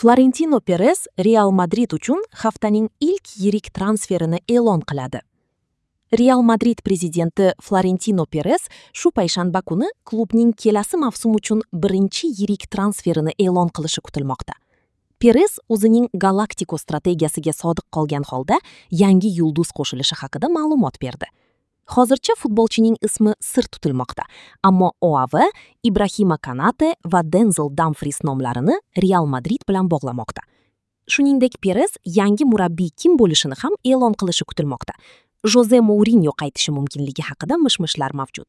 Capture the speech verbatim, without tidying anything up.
Florentino Perez Real Madrid uchun haftaning ilk yirik transferini e'lon qiladi. Real Madrid prezidenti Florentino Perez shu payshanba kuni klubning kelasi mavsum uchun birinchi yirik transferini e'lon qilishi kutilmoqda. Perez o'zining Galaktiko strategiyasiga sodiq qolgan holda yangi yulduz qo'shilishi haqida ma'lumot berdi. Hozircha futbolchining ismi sir tutilmoqda, ammo O A V Ibrahima Kanate va Denzel Dumfries nomlarini Real Madrid bilan bog'lamoqda. Shuningdek, Perez yangi murabbiy kim bo'lishini ham e'lon qilishi kutilmoqda. Joze Mourinyo qaytishi mumkinligi haqida mish-mishlar mavjud.